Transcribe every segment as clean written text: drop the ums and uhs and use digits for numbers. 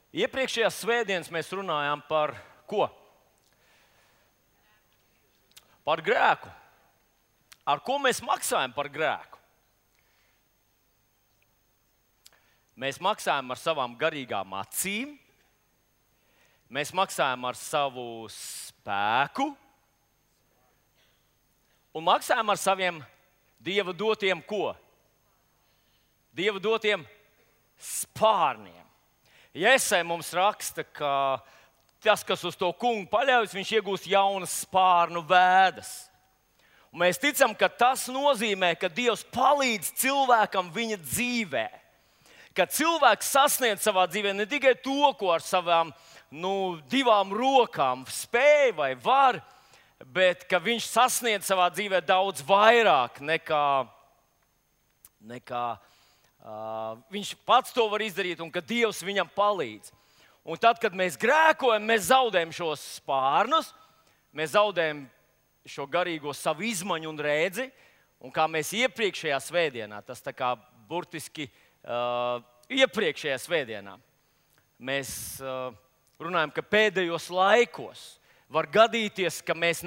Iepriekšējās svētdienas mēs runājām par ko? Par grēku. Ar ko mēs maksājam par grēku? Mēs maksājam ar savām garīgām acīm, mēs maksājam ar savu spēku un maksājam ar saviem Dieva dotiem ko? Dieva dotiem spārniem. Jēzai mums raksta, ka tas, kas uz to kungu paļaujas, viņš iegūs jaunas spārnu vēdas. Un mēs ticam, ka tas nozīmē, ka Dievs palīdz cilvēkam viņa dzīvē. Ka cilvēks sasniedz savā dzīvē ne tikai to, ko ar savām divām rokām spēj vai var, bet ka viņš sasniedz savā dzīvē daudz vairāk nekā viņš pats to var izdarīt un ka Dievs viņam palīdz. Un tad, kad mēs grēkojam, mēs zaudējam šos spārnus, mēs zaudējam šo garīgo savu izmaņu un redzi. Un kā mēs iepriekšējā svētdienā, tas tā kā burtiski iepriekšējā svētdienā, mēs runājam, ka pēdējos laikos var gadīties, ka mēs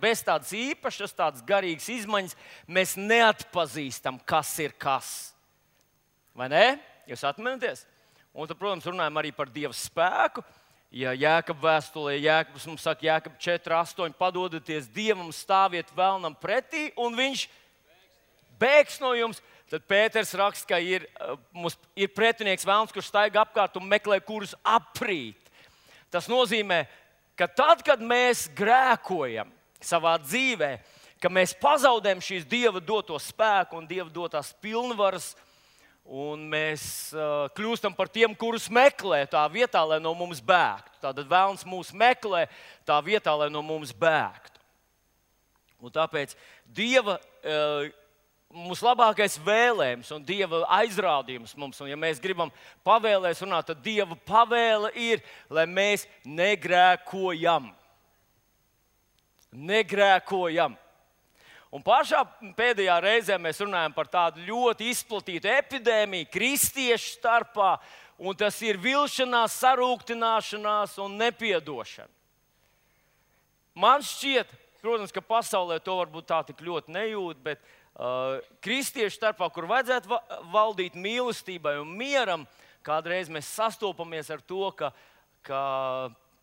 bez tādas īpašas, tādas garīgas izmaņas, mēs neatpazīstam, kas ir kas. Vai ne? Jūs atminaties? Un tad, protams, runājam arī par Dieva spēku. Ja Jēkaba vēstulē, Jēkabs mums saka, Jēkaba 4:8, padodaties Dievam, stāviet vēlnam pretī, un viņš bēgs no jums. Tad Pēters raksta, ka ir pretinieks vēlns, kurš staigā apkārt un meklē, kurus aprīt. Tas nozīmē, ka tad, kad mēs grēkojam savā dzīvē, ka mēs pazaudējam šīs Dieva doto spēku un Dieva dotās pilnvaras, un mēs kļūstam par tiem, kurus meklē tā vietā, lai no mums bēgtu. Tātad vēlns mūs meklē tā vietā, lai no mums bēgtu. Un tāpēc Dieva mums labākais vēlējums un Dieva aizrādījums mums, un ja mēs gribam pavēlēs runāt, tad Dieva pavēle ir, lai mēs negrēkojam. Negrēkojam. Un pašā pēdējā reizē mēs runājam par tādu ļoti izplatītu epidēmiju kristiešu starpā, un tas ir vilšanās, sarūktināšanās un nepiedošana. Man šķiet, protams, ka pasaulē to varbūt tā tik ļoti nejūt, bet kristiešu starpā, kur vajadzētu valdīt mīlestībai un mieram, kādreiz mēs sastopamies ar to, ka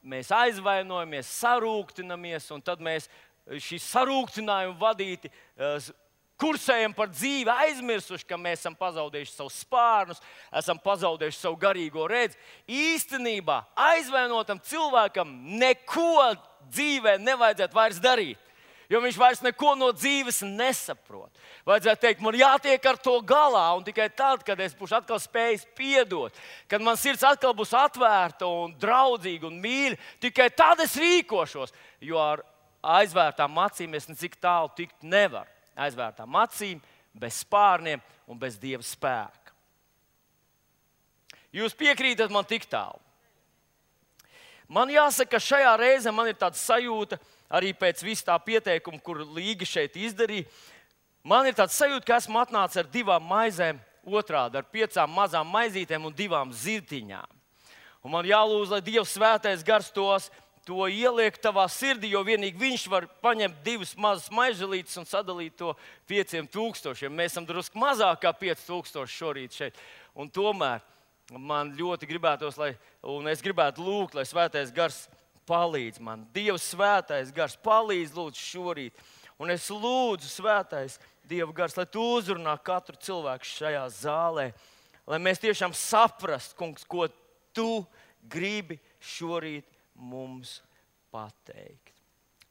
mēs aizvainojamies, sarūktinamies, un tad mēs šī sarūktinājuma vadīti kursējam par dzīvi, aizmirsuši, ka mēs esam pazaudējuši savus spārnus, esam pazaudējuši savu garīgo redzi. Īstenībā aizvainotam cilvēkam neko dzīvē nevajadzētu vairs darīt, jo viņš vairs neko no dzīves nesaprot. Vajadzētu teikt, man jātiek ar to galā, un tikai tad, kad es būšu atkal spējis piedot, kad man sirds atkal būs atvērta un draudzīga un mīļa, tikai tad es rīkošos, jo ar aizvērtām acīm es necik tālu tikt nevaru. Aizvērtām acīm, bez spārniem un bez Dieva spēka. Jūs piekrītat man tik tālu? Man jāsaka, ka šajā reizē man ir tāda sajūta, arī pēc vis tā pieteikuma, kur Līga šeit izdarīja, man ir tāda sajūta, ka esmu atnācis ar 2 maizēm otrādi, ar 5 mazām maizītēm un 2 zirtiņām. Un man jālūdz, lai Dieva svētais gars to ieliek tavā sirdī, jo vienīgi viņš var paņemt 2 mazas maizelītes un sadalīt to 5000. Mēs esam drusku mazāk kā 5000 šorīt šeit. Un tomēr man ļoti gribētos, un es gribētu lūgt, lai svētais gars palīdz man. Dieva svētais gars palīdz lūdzu šorīt. Un es lūdzu svētais Dieva gars, lai tu uzrunā katru cilvēku šajā zālē, lai mēs tiešām saprastu, kungs, ko tu gribi šorīt mums pateikt.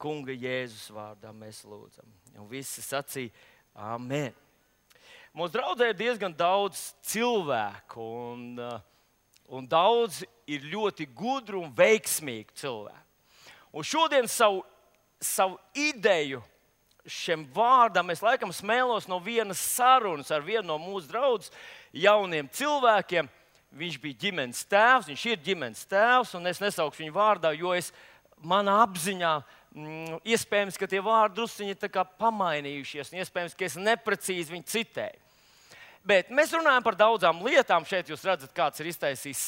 Kunga Jēzus vārdā mēs lūdzam. Un visi sacīja amen. Mūsu draudzē ir diezgan daudz cilvēku, un daudz ir ļoti gudru un veiksmīgu cilvēku. Un šodien savu ideju šiem vārdam es laikam smēlos no vienas sarunas ar vienu no mūsu draudzes jauniem cilvēkiem. Viņš bija ģimenes tēvs, viņš ir ģimenes tēvs, un es nesaukšu viņu vārdā, jo manā apziņā iespējams, ka tie vārdi drusciņi ir tā kā pamainījušies, un iespējams, ka es neprecīzi viņu citēju. Bet mēs runājam par daudzām lietām. Šeit jūs redzat, kāds ir iztaisījis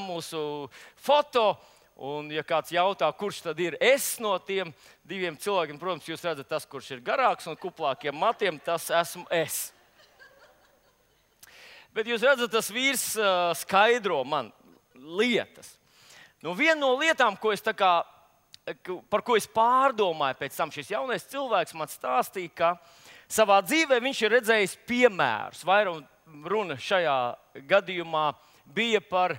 mūsu foto. Un, ja kāds jautā, kurš tad ir es no tiem diviem cilvēkiem, protams, jūs redzat, tas, kurš ir garāks un kuplākiem matiem, tas esmu es. Bet jūs redzat, tas vīrs skaidro man lietas. Nu, viena no lietām, par ko es pārdomāju pēc tam, šis jaunais cilvēks man stāstīja, ka savā dzīvē viņš ir redzējis piemērus. Vairāk runa šajā gadījumā bija par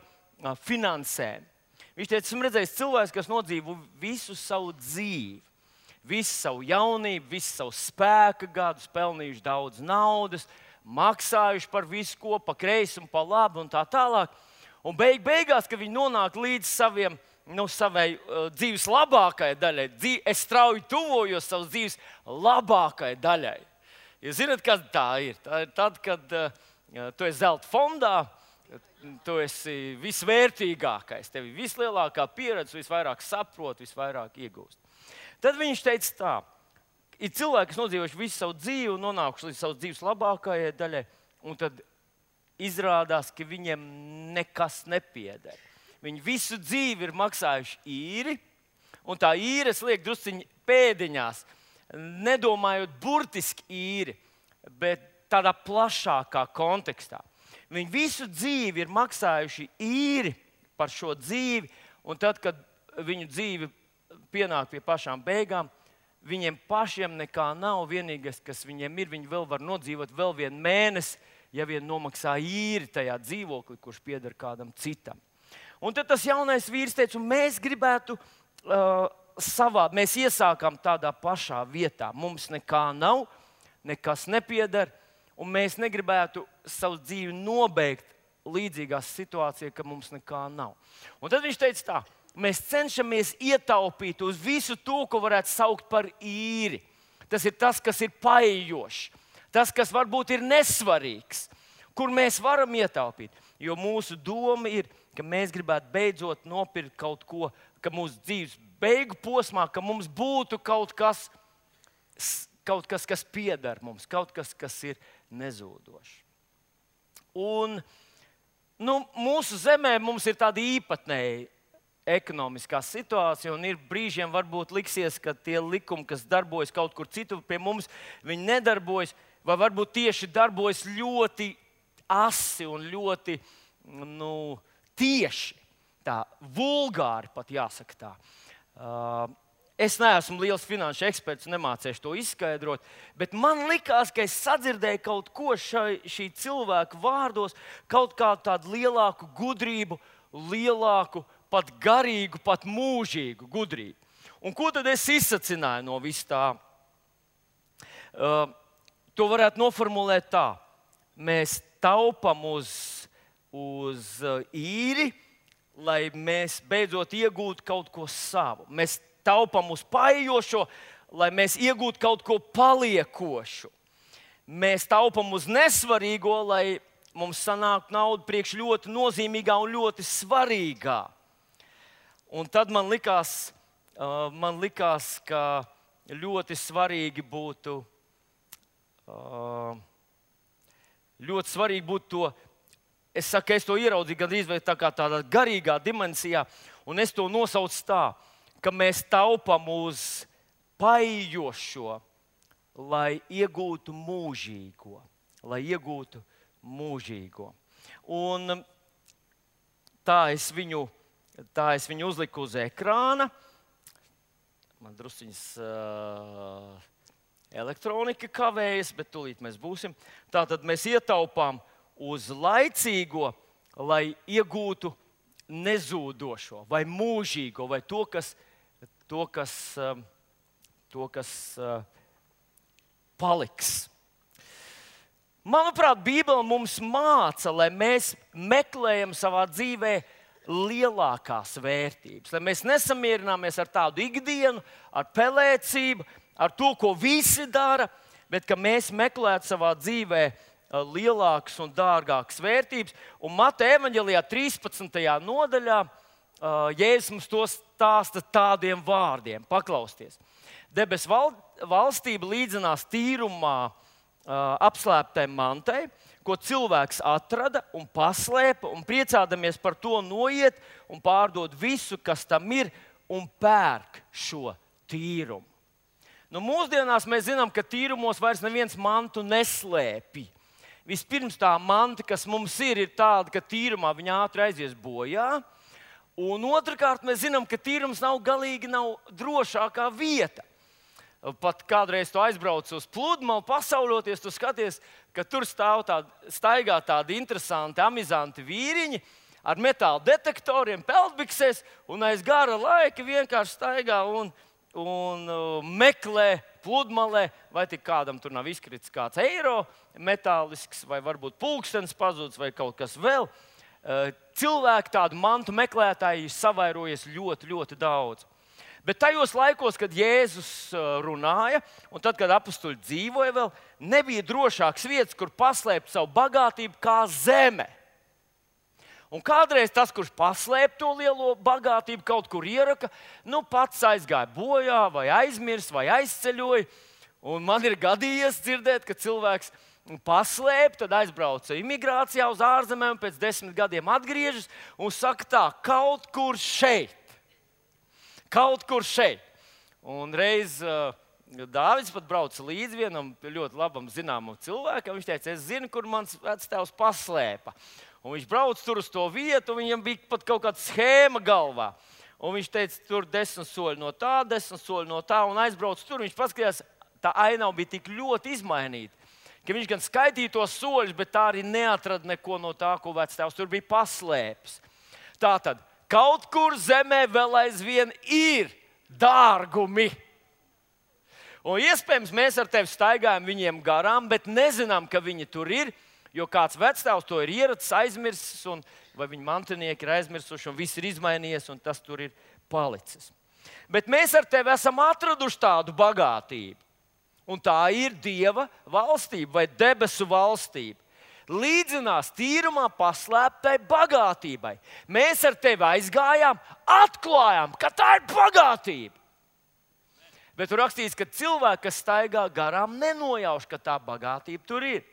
finansēm. Viņš teica, esmu redzējis cilvēks, kas nodzīvo visu savu dzīvi, visu savu jaunību, visu savu spēka gadus, pelnījuši daudz naudas, maksājuši par visu ko, pa kreisi un pa labi un tā tālāk. Un beigās, kad viņi nonāk līdz savai dzīves labākajai daļai, es strauji tuvojos savas dzīves labākajai daļai. Jūs zināt, kas tā ir? Tā ir tad, kad tu esi zelta fondā, tu esi visvērtīgākais, tev ir vislielākā pieredze, visvairāk saprot, visvairāk iegūst. Tad viņš teica tā, ir cilvēki, kas nodzīvojuši visu savu dzīvi un nonākuši līdz savas dzīves labākajai daļai, un tad izrādās, ka viņiem nekas nepieder. Viņi visu dzīvi ir maksājuši īri, un tā īres liek drusciņi pēdiņās, nedomājot burtiski īri, bet tādā plašākā kontekstā. Viņi visu dzīvi ir maksājuši īri par šo dzīvi, un tad, kad viņu dzīve pienāk pie pašām beigām, viņiem pašiem nekā nav. Vienīgais, kas viņiem ir, viņi vēl var nodzīvot vēl vienu mēnesi, ja vien nomaksā īri tajā dzīvoklī, kurš pieder kādam citam. Un tad tas jaunais vīrs teica, un mēs gribētu mēs iesākām tādā pašā vietā. Mums nekā nav, nekas nepieder. Un mēs negribētu savu dzīvi nobeigt līdzīgā situācijā, ka mums nekā nav. Un tad viņš teica tā, mēs cenšamies ietaupīt uz visu to, ko varētu saukt par īri. Tas ir tas, kas ir paejošs, tas, kas varbūt ir nesvarīgs, kur mēs varam ietaupīt. Jo mūsu doma ir, ka mēs gribētu beidzot nopirkt kaut ko, ka mūsu dzīves beigu posmā, ka mums būtu kaut kas, kas pieder mums, kaut kas, kas ir nezūdošs. Un mūsu zemē mums ir tāda īpatnēja ekonomiskā situācija, un ir brīžiem varbūt liksies, ka tie likumi, kas darbojas kaut kur citur pie mums, viņi nedarbojas, vai varbūt tieši darbojas ļoti asi un ļoti tieši, tā vulgāri pat jāsaka tā. Es neesmu liels finanšu eksperts, nemācīšu to izskaidrot, bet man likās, ka es sadzirdēju kaut ko šī cilvēka vārdos, kaut kādu tādu lielāku gudrību, lielāku, pat garīgu, pat mūžīgu gudrību. Un ko tad es izsacināju no vis tā? To varētu noformulēt tā. Mēs taupam uz īri, lai mēs beidzot iegūtu kaut ko savu. Mēs taupam uz paejošo, lai mēs iegūtu kaut ko paliekošu. Mēs taupam uz nesvarīgo, lai mums sanāktu nauda priekš ļoti nozīmīgā un ļoti svarīgā. Un tad man likās, ka ļoti svarīgi būtu to. Es saku, es to ieraudzīju gandrīz vai tādā garīgā dimensijā, un es to nosaucu tā, ka mēs taupam uz paejošo, lai iegūtu mūžīgo. Un tā es viņu uzliku uz ekrāna. Man drusciņas elektronika kavējas, bet tūlīt mēs būsim. Tātad mēs ietaupām uz laicīgo, lai iegūtu nezūdošo vai mūžīgo, vai to, kas paliks. Manuprāt, Bībele mums māca, lai mēs meklējam savā dzīvē lielākās vērtības, lai mēs nesamierināmies ar tādu ikdienu, ar pelēcību, ar to, ko visi dara, bet ka mēs meklētu savā dzīvē lielākas un dārgākas vērtības. Un Mateja evaņģelijā 13. nodaļā Jēzus mums to stāsta tādiem vārdiem. Paklausieties. Debesu valstība līdzinās tīrumā apslēptai mantai, ko cilvēks atrada un paslēpa, un priecādamies par to noiet un pārdod visu, kas tam ir, un pērk šo tīrumu. Nu, mūsdienās mēs zinām, ka tīrumos vairs neviens mantu neslēpj. Vispirms tā manta, kas mums ir tāda, ka tīrumā viņa ātri aizies bojā. Un otrkārt, mēs zinām, ka tīrums galīgi nav drošākā vieta. Pat kādreiz tu aizbrauc uz pludmali, pasauļoties, tu skaties, ka tur staigā tādi interesanti, amizanti vīriņi ar metāla detektoriem, peldbiksēs, un aiz gara laika vienkārši staigā un meklē pludmalē, vai tik kādam tur nav izkritis kāds eiro metālisks, vai varbūt pulkstenis pazudis, vai kaut kas vēl. Cilvēki tādu mantu meklētāji savairojas ļoti, ļoti daudz. Bet tajos laikos, kad Jēzus runāja, un tad, kad apostuli dzīvoja vēl, nebija drošāks vietas, kur paslēpt savu bagātību kā zeme. Un kādreiz tas, kurš paslēpa to lielo bagātību, kaut kur ieraka, pats aizgāja bojā, vai aizmirst, vai aizceļoja. Un man ir gadījies dzirdēt, ka cilvēks paslēpa, tad aizbrauca imigrācijā uz ārzemēm, pēc 10 gadiem atgriežas un saka tā, kaut kur šeit. Kaut kur šeit. Un reiz Dāvids pat brauca līdzi vienam ļoti labam zināmam cilvēkam. Viņš teica, es zinu, kur mans vectēvs paslēpa. Un viņš brauc tur uz to vietu, un viņam bija pat kaut kāda schēma galvā. Un viņš teica, tur 10 soļi no tā, 10 soļi no tā, un aizbrauc tur. Viņš paskatījās, tā ainava bija tik ļoti izmainīta, ka viņš gan skaitīja tos soļus, bet tā arī neatrada neko no tā, ko vectēvs tur bija paslēpis. Tātad, kaut kur zemē vēl aizvien ir dārgumi. Un iespējams, mēs ar tevi staigājam viņiem garām, bet nezinām, ka viņi tur ir, jo kāds vectēvs to ir ieracis, aizmirsis, vai viņa mantinieki ir aizmirsuši, un viss ir izmainījies, un tas tur ir palicis. Bet mēs ar tevi esam atraduši tādu bagātību. Un tā ir Dieva valstība vai debesu valstība. Līdzinās tīrumā paslēptai bagātībai. Mēs ar tevi aizgājām, atklājām, ka tā ir bagātība. Bet tur rakstīts, ka cilvēki, kas staigā garām, nenojauš, ka tā bagātība tur ir.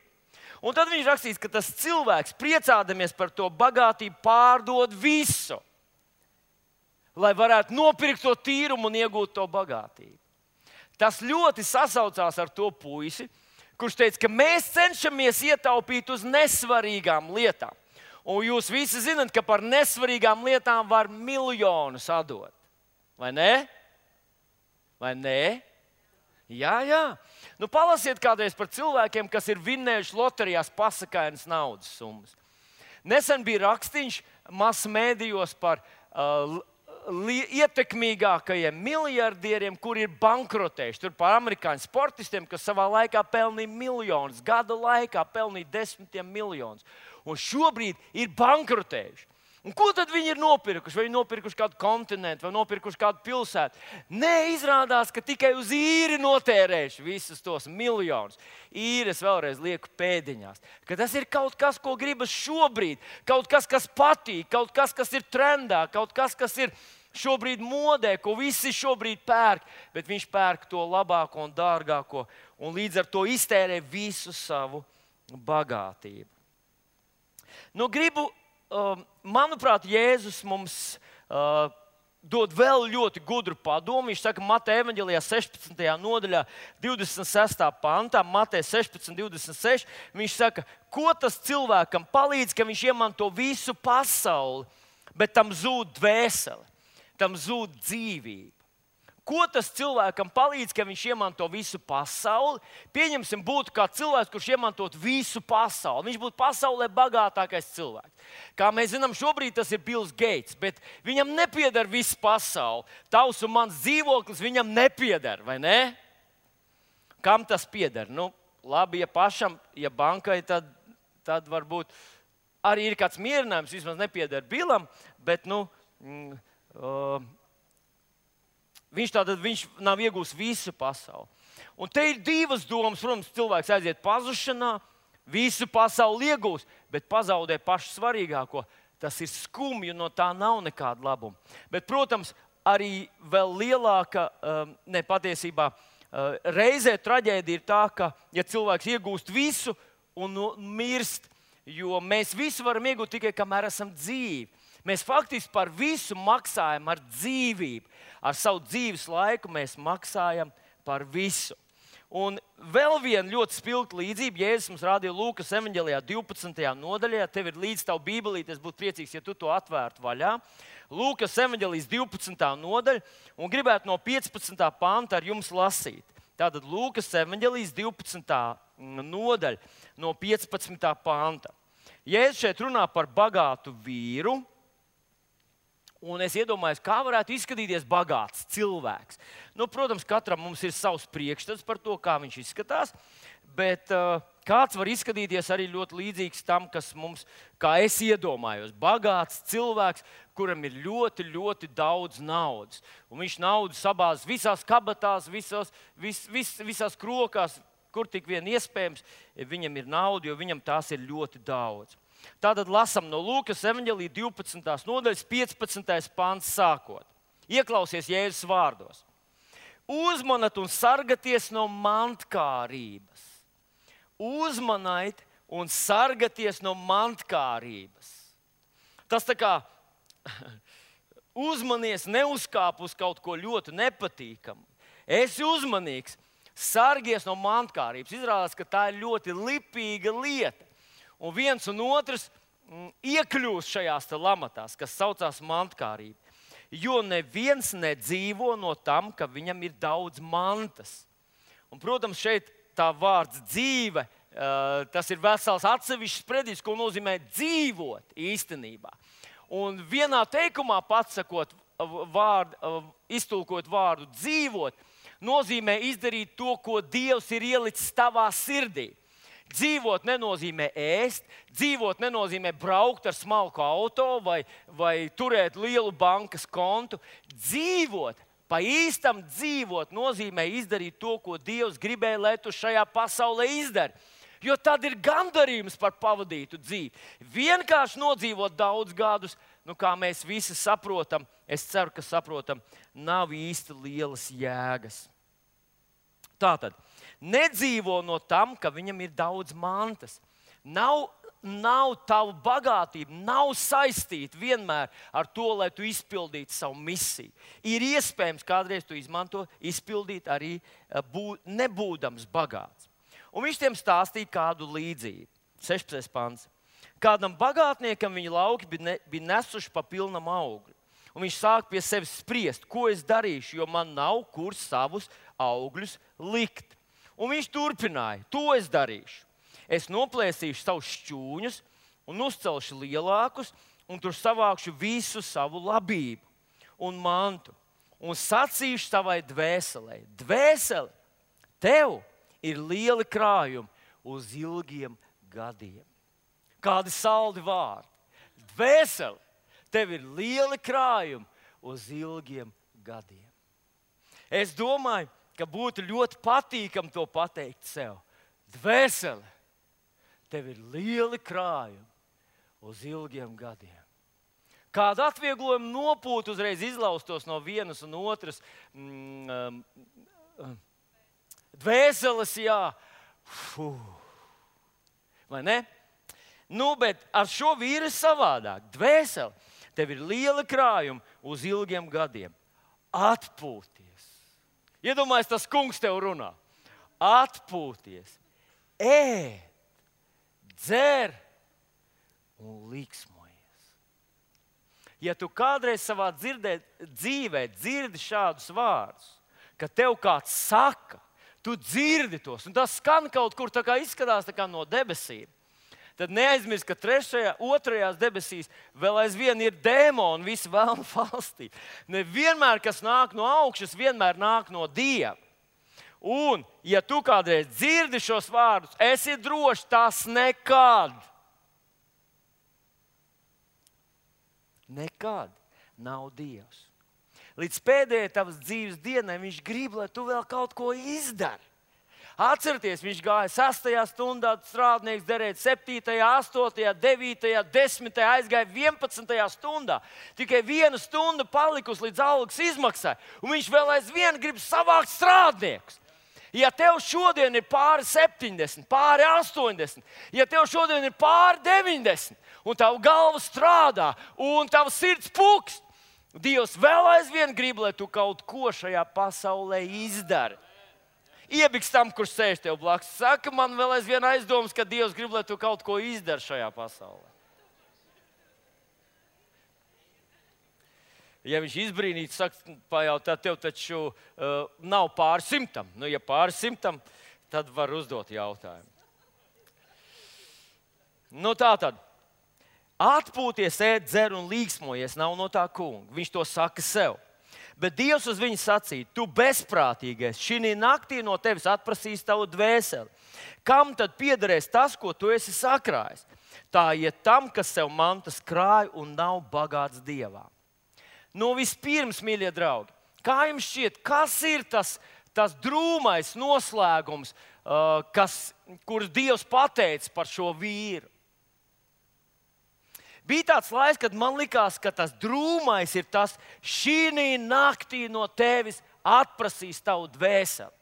Un tad viņš rakstīts, ka tas cilvēks, priecādamies par to bagātību, pārdod visu, lai varētu nopirkt to tīrumu un iegūt to bagātību. Tas ļoti sasaucās ar to puisi, kurš teica, ka mēs cenšamies ietaupīt uz nesvarīgām lietām. Un jūs visi zināt, ka par nesvarīgām lietām var miljonus atdot. Vai ne? Vai ne? Jā. Palasiet kādreiz par cilvēkiem, kas ir vinnējuši loterijās pasakainas naudas summas. Nesen bija rakstīns masmēdījos par ietekmīgākajiem miljardieriem, kuri ir bankrotējuši. Tur par amerikāņu sportistiem, kas savā laikā pelnīja miljonus, gada laikā pelnīja 10 miljonus. Un šobrīd ir bankrotējuši. Un ko tad viņi ir nopirkuši? Vai viņi nopirkuši kādu kontinentu, vai nopirkuši kādu pilsētu? Nē, izrādās, ka tikai uz īri notērējuši visus tos miljonus. Īres vēlreiz lieku pēdiņās. Ka tas ir kaut kas, ko gribas šobrīd, kaut kas, kas patīk, kaut kas, kas ir trendā, kaut kas, kas ir šobrīd modē, ko visi šobrīd pērk, bet viņš pērk to labāko un dārgāko un līdz ar to iztērē visu savu bagātību. Manuprāt, Jēzus mums dod vēl ļoti gudru padomu. Viņš saka, Mateja evaņģelijā 16. nodaļā, 26. pantā, Mateja 16, 26. Viņš saka, ko tas cilvēkam palīdz, ka viņš iemanto visu pasauli, bet tam zūd dvēsele, tam zūd dzīvība. Ko tas cilvēkam palīdz, ka viņš iemanto visu pasauli? Pieņemsim, būtu kā cilvēks, kurš iemantot visu pasauli. Viņš būtu pasaulē bagātākais cilvēks. Kā mēs zinām, šobrīd tas ir Bills Gates, bet viņam nepieder viss pasaule. Tavs un mans dzīvoklis viņam nepieder, vai ne? Kam tas pieder? Labi, ja pašam, ja bankai, tad varbūt arī ir kāds mierinājums, vismaz nepieder Billam, bet viņš nav iegūst visu pasauli. Un te ir divas domas. Protams, cilvēks aiziet pazušanā, visu pasauli iegūst, bet pazaudē pašu svarīgāko. Tas ir skumji, no tā nav nekāda labuma. Bet, protams, arī vēl lielāka patiesībā reizē traģēdija ir tā, ka, ja cilvēks iegūst visu un mirst, jo mēs visu varam iegūt tikai, kamēr esam dzīvi. Mēs faktiski par visu maksājam ar dzīvību. Ar savu dzīves laiku mēs maksājam par visu. Un vēl viena ļoti spilgta līdzība, Jēzus mums rādīja Lūkas evaņģelijā 12. nodaļā. Tev ir līdz tavu bībelīti, es būtu priecīgs, ja tu to atvērtu vaļā. Lūkas evaņģelijas 12. nodaļa, un gribētu no 15. panta ar jums lasīt. Tātad Lūkas evaņģelijas 12. nodaļa no 15. panta. Jēzus šeit runā par bagātu vīru. Un es iedomājos, kā varētu izskatīties bagāts cilvēks. Protams, katram mums ir savs priekšstats par to, kā viņš izskatās, bet kāds var izskatīties arī ļoti līdzīgs tam, kas mums, kā es iedomājos, bagāts cilvēks, kuram ir ļoti, ļoti daudz naudas. Un viņš naudu sabāz visās kabatās, visās krokās, kur tik vien iespējams, viņam ir nauda, jo viņam tās ir ļoti daudz. Tātad lasām no Lūkas evaņģelija 12. nodaļas 15. pants sākot. Ieklausies Jēzus vārdos. Uzmanat un sargaties no mantkārības. Uzmaniet un sargaties no mantkārības. Tas tā kā uzmanies, neuzkāp uz kaut ko ļoti nepatīkamu. Esi uzmanīgs, sargies no mantkārības. Izrādās, ka tā ir ļoti lipīga lieta. Un viens un otrs iekļūst šajās lamatās, kas saucās mantkārība. Jo neviens nedzīvo no tam, ka viņam ir daudz mantas. Un, protams, šeit tā vārds dzīve, tas ir vesels atsevišķs predikts, ko nozīmē dzīvot īstenībā. Un vienā teikumā patsakot iztulkot vārdu dzīvot, nozīmē izdarīt to, ko Dievs ir ielicis tavā sirdī. Dzīvot nenozīmē ēst, dzīvot nenozīmē braukt ar smalku auto vai turēt lielu bankas kontu. Dzīvot, pa īstam dzīvot, nozīmē izdarīt to, ko Dievs gribēja, lai tu šajā pasaulē izdari. Jo tad ir gandarījums par pavadītu dzīvi. Vienkārši nodzīvot daudz gadus, kā mēs visi saprotam, es ceru, ka saprotam, nav īsti lielas jēgas. Tātad. Nedzīvo no tam, ka viņam ir daudz mantas. Nav tava bagātība, nav saistīta vienmēr ar to, lai tu izpildītu savu misiju. Ir iespējams, kādreiz tu izpildīt arī nebūdams bagāts. Un viņš tiem stāstīja kādu līdzību. 16. pants. Kādam bagātniekam viņa lauki bija nesuši pa pilnam augļu. Un viņš sāk pie sevis spriest, ko es darīšu, jo man nav kur savus augļus likt. Un viņš turpināja, to es darīšu. Es noplēsīšu savus šķūņus un uzcelšu lielākus, un tur savākšu visu savu labību un mantu. Un sacīšu savai dvēselē, dvēseli, tev ir lieli krājumi uz ilgiem gadiem. Kādi saldi vārdi. Dvēseli, tev ir lieli krājumi uz ilgiem gadiem. Es domāju, ka būtu ļoti patīkami to pateikt sev. Dvēseli, tev ir lieli krājumi uz ilgiem gadiem. Kādu atvieglojumu nopūtu uzreiz izlaustos no vienas un otras dvēseles, jā. Vai ne? Bet ar šo vīru ir savādāk. Dvēseli, tev ir lieli krājumi uz ilgiem gadiem. Atpūties. Iedomājies, tas kungs tev runā. Atpūties, ēd, dzer un liksmojies. Ja tu kādreiz savā dzīvē dzirdi šādus vārdus, ka tev kāds saka, tu dzirdi tos, un tas skan kaut kur tā kā izskatās tā kā no debesīm, tad neaizmirst, ka otrajās debesīs vēl aizvien ir dēmoni, visi vēlnu valstī. Nevienmēr, kas nāk no augšas, vienmēr nāk no Dieva. Un, ja tu kādreiz dzirdi šos vārdus, esi drošs, tas nekad nav Dievs. Līdz pēdējai tavas dzīves dienai viņš grib, lai tu vēl kaut ko izdari. Atcerieties, viņš gāja 6. stundā, strādnieks derēt 7., 8., 9., 10., aizgāja 11. stundā. Tikai 1 stunda palikusi līdz algas izmaksai, un viņš vēl aizvien grib savākt strādniekus. Ja tev šodien ir pāri 70, pāri 80, ja tev šodien ir pāri 90, un tava galva strādā, un tava sirds pukst, Dievs vēl aizvien grib, lai tu kaut ko šajā pasaulē izdari. Iebiks tam, kurš sēž tev blakus. Saka, man vēl aizvien aizdomas, ka Dievs grib, lai tu kaut ko izdari šajā pasaulē. Ja viņš izbrīnītu, saka, pajautā, tev taču nav pāri 100. Nu, ja pāri 100, tad var uzdot jautājumu. Nu, tā tad. Atpūties, ēd, dzer un līksmojies nav no tā kunga. Viņš to saka sev. Bet Dievs uz viņu sacīja, tu bezprātīgais, šī naktī no tevis atprasīs tavu dvēseli. Kam tad piederēs tas, ko tu esi sakrājis? Tā iet tam, kas sev mantas krāj un nav bagāts Dievā. Nu, vispirms, mīļie draugi, kā jums šķiet, kas ir tas drūmais noslēgums, kurus Dievs pateica par šo vīru? Bija tāds laiks, kad man likās, ka tas drūmais ir tas, šī naktī no tevis atprasīs tavu dvēseli.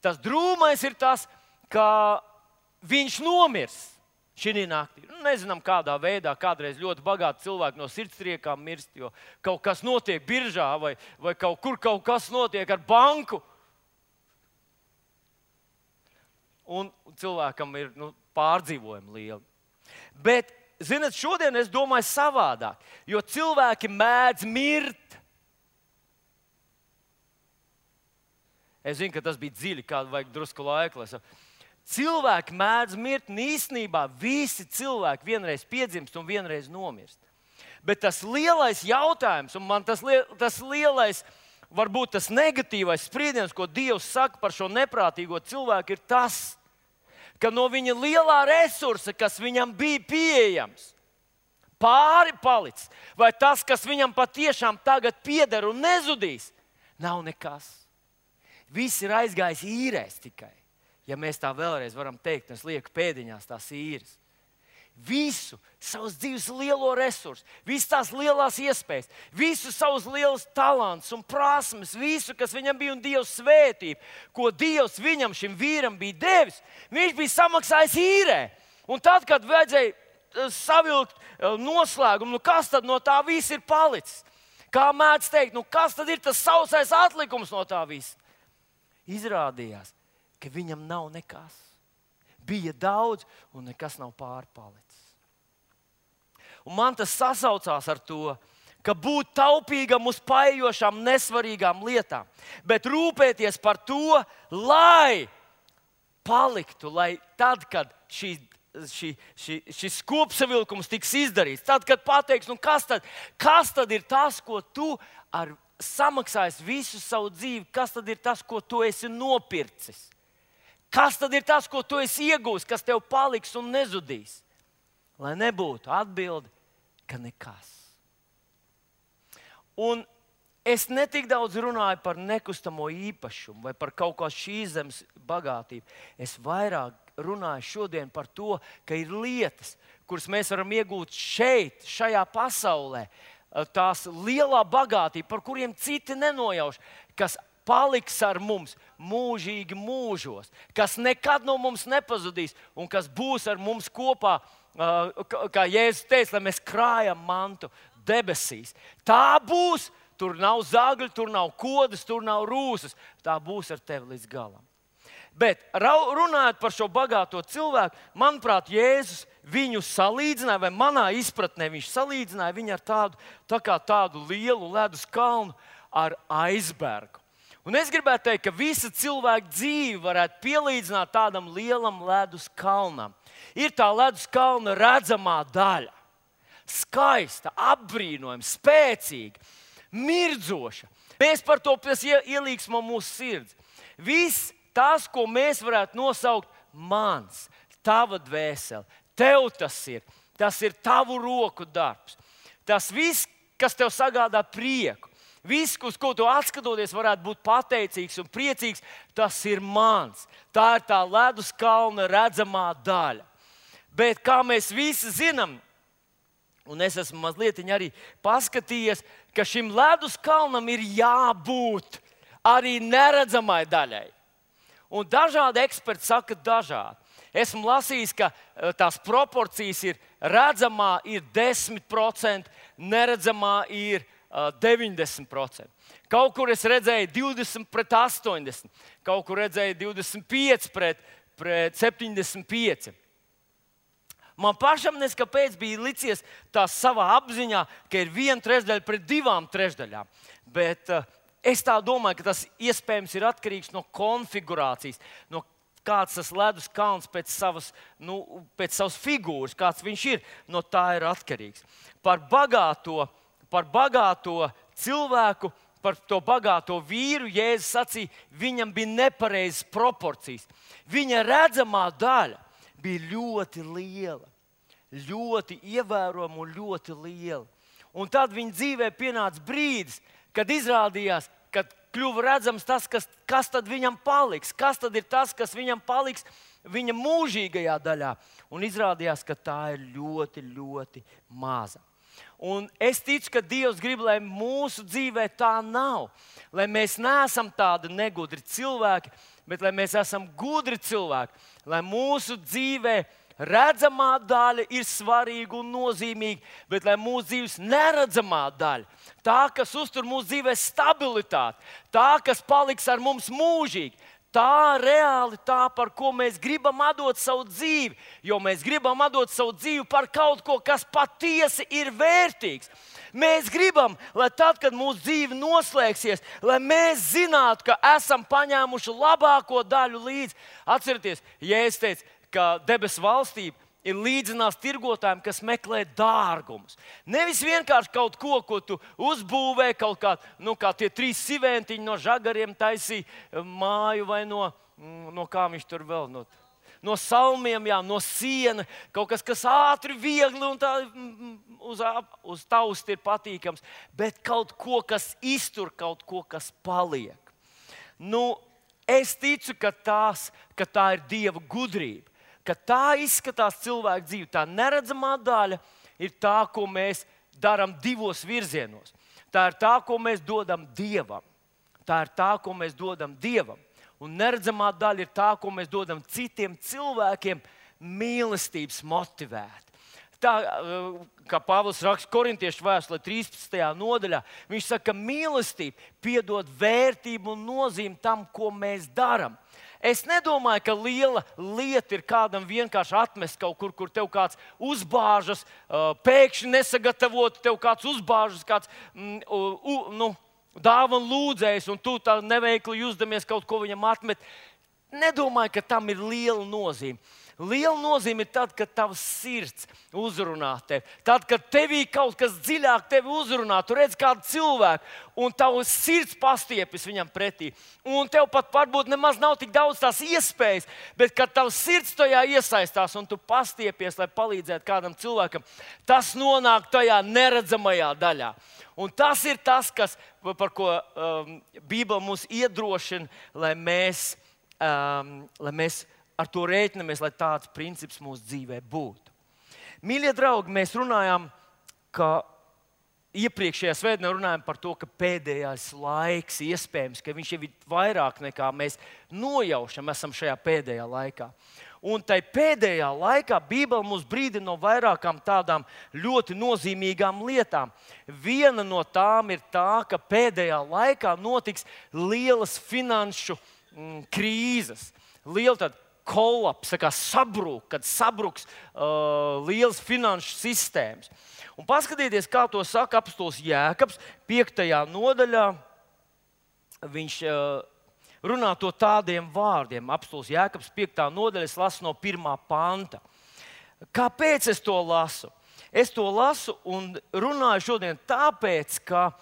Tas drūmais ir tas, ka viņš nomirs šī naktī. Nezinām, kādā veidā, kādreiz ļoti bagāti cilvēki no sirdstriekām mirst, jo kaut kas notiek biržā vai kaut kas notiek ar banku. Un cilvēkam ir pārdzīvojumi lieli. Bet, zināt, šodien es domāju savādāk, jo cilvēki mēdz mirt. Es zinu, ka tas bija dziļi, kādu vajag drusku laika. Cilvēki mēdz mirt, un īstenībā visi cilvēki vienreiz piedzimst un vienreiz nomirst. Bet tas lielais jautājums, un man tas lielais, varbūt tas negatīvais spriediens, ko Dievs saka par šo neprātīgo cilvēku, ir tas, ka no viņa lielā resursa, kas viņam bija pieejams, pāri palicis, vai tas, kas viņam patiešām tagad pieder un nezudīs, nav nekas. Viss ir aizgājis īrēs tikai. Ja mēs tā vēlreiz varam teikt, un es lieku pēdiņās tās īres. Visu savus dzīves lielo resursu, visas tās lielās iespējas, visu savus lielus talantus un prasmes, visu, kas viņam bija un Dieva svētība, ko Dievs viņam, šim vīram, bija devis, viņš bija samaksājis īrē. Un tad, kad vajadzēja savilkt noslēgumu, kas tad no tā viss ir palicis? Kā mēdz teikt, kas tad ir tas sausais atlikums no tā visa? Izrādījās, ka viņam nav nekas. Bija daudz, un nekas nav pārpalicis. Un man tas sasaucās ar to, ka būt taupīgam uz paejošām, nesvarīgām lietām, bet rūpēties par to, lai paliktu, lai tad, kad šis kopsavilkums tiks izdarīts, tad, kad pateiks, kas tad ir tas, ko tu samaksājis visu savu dzīvi, kas tad ir tas, ko tu esi nopircis? Kas tad ir tas, ko tu esi iegūst, kas tev paliks un nezudīs? Lai nebūtu atbildi, ka nekas. Un es netik daudz runāju par nekustamo īpašumu vai par kaut kā šīs zemes bagātību. Es vairāk runāju šodien par to, ka ir lietas, kuras mēs varam iegūt šeit, šajā pasaulē. Tās lielā bagātība, par kuriem citi nenojauš, kas paliks ar mums mūžīgi mūžos, kas nekad no mums nepazudīs un kas būs ar mums kopā, kā Jēzus teica, lai mēs krājam mantu debesīs. Tā būs, tur nav zagļu, tur nav kodas, tur nav rūsas, tā būs ar tevi līdz galam. Bet runājot par šo bagāto cilvēku, manuprāt, Jēzus viņu salīdzināja, vai manā izpratnē viņš salīdzināja viņu ar tādu lielu ledus kalnu ar aizbergu. Un es gribētu teikt, ka visa cilvēka dzīve varētu pielīdzināt tādam lielam ledus kalnam. Ir tā ledus kalna redzamā daļa. Skaista, apbrīnojama, spēcīga, mirdzoša. Mēs par to ielīgsmo mūsu sirds. Viss tas, ko mēs varētu nosaukt mans, tava dvēsele, tev tas ir tavu roku darbs. Tas viss, kas tev sagādā prieku. Viss, uz ko tu atskatoties, varētu būt pateicīgs un priecīgs, tas ir mans. Tā ir tā ledus kalna redzamā daļa. Bet kā mēs visi zinām, un es esmu mazliet arī paskatījies, ka šim ledus kalnam ir jābūt arī neredzamai daļai. Un dažādi eksperti saka dažādi. Esmu lasījis, ka tās proporcijas ir redzamā ir 10%, neredzamā ir 90%. Kaut kur es redzēju 20 pret 80, kaut kur redzēju 25 pret 75. Man pašam neskapēc bija licies tā savā apziņā, ka ir 1/3 pret 2/3. Bet es tā domāju, ka tas iespējams ir atkarīgs no konfigurācijas, no kāds tas ledus kalns pēc savas figūras, kāds viņš ir, no tā ir atkarīgs. Par bagāto cilvēku, par to bagāto vīru, Jēzus sacīja, viņam bija nepareizas proporcijas. Viņa redzamā daļa bija ļoti liela, ļoti ievērojama un ļoti liela. Un tad viņa dzīvē pienāca brīdis, kad izrādījās, kad kļuva redzams tas, kas tad viņam paliks, kas tad ir tas, kas viņam paliks viņa mūžīgajā daļā. Un izrādījās, ka tā ir ļoti, ļoti maza. Un es ticu, ka Dievs grib, lai mūsu dzīvē tā nav. Lai mēs neesam tādi negudri cilvēki, bet lai mēs esam gudri cilvēki. Lai mūsu dzīvē redzamā daļa ir svarīga un nozīmīga, bet lai mūsu dzīves neredzamā daļa, tā, kas uztur mūsu dzīvē stabilitāti, tā, kas paliks ar mums mūžīgi, tā reāli tā, par ko mēs gribam atdot savu dzīvi. Jo mēs gribam atdot savu dzīvi par kaut ko, kas patiesi ir vērtīgs. Mēs gribam, lai tad, kad mūsu dzīve noslēgsies, lai mēs zinātu, ka esam paņēmuši labāko daļu līdzi. Atcerieties, Jēzus teica, ka debesu valstība ir līdzinās tirgotājiem, kas meklē dārgumus. Nevis vienkārši kaut ko, ko tu uzbūvē, kaut kā tie 3 siventiņi no žagariem taisīja māju vai no kā viņš tur vēl, no salmiem, jā, no siena, kaut kas ātri, viegli un tā uz tausti ir patīkams, bet kaut ko, kas iztur, kaut ko, kas paliek. Es ticu, ka tā ir Dieva gudrība. Ka tā izskatās cilvēka dzīve. Tā neredzamā daļa ir tā, ko mēs darām 2 virzienos. Tā ir tā, ko mēs dodam Dievam. Tā ir tā, ko mēs dodam Dievam. Un neredzamā daļa ir tā, ko mēs dodam citiem cilvēkiem mīlestības motivēt. Tā, kā Pāvils raksta Korintiešu vēstulē 13. nodaļā, viņš saka, ka mīlestība piedod vērtību un nozīmi tam, ko mēs darām. Es nedomāju, ka liela lieta ir kādam vienkārši atmest kaut kur tev kāds uzbāžas, pēkšņi nesagatavot, tev kāds uzbāžas, kāds dāvanu lūdzējs, un tu tā neveikli jūsdamies kaut ko viņam atmet. Nedomāju, ka tam ir liela nozīme. Liela nozīme ir tad, kad tavs sirds uzrunā tevi. Tad, kad tevī kaut kas dziļāk tevi uzrunā, tu redz kādu cilvēku, un tavs sirds pastiepjas viņam pretī. Un tev pat varbūt nemaz nav tik daudz tās iespējas, bet kad tavs sirds tajā iesaistās un tu pastiepies, lai palīdzētu kādam cilvēkam, tas nonāk tajā neredzamajā daļā. Un tas ir tas, par ko Bībele mūs iedrošina, lai mēs ar to rēķinamies, lai tāds princips mūsu dzīvē būtu. Mīļie draugi, mēs runājām, ka iepriekšējā svētdienā runājām par to, ka pēdējais laiks iespējams, ka viņš jau ir vairāk nekā mēs nojaušam, esam šajā pēdējā laikā. Un tai pēdējā laikā Bībele mūs brīdina no vairākām tādām ļoti nozīmīgām lietām. Viena no tām ir tā, ka pēdējā laikā notiks lielas finanšu krīzes. Liela tāda kolaps, kad sabruks lielas finanšu sistēmas. Un paskatieties, kā to saka apostols Jēkabs 5. nodaļā. Viņš runā to tādiem vārdiem. Apostols Jēkabs 5. nodaļa, es lasu no 1. panta. Kāpēc es to lasu? Es to lasu un runāju šodien tāpēc, ka,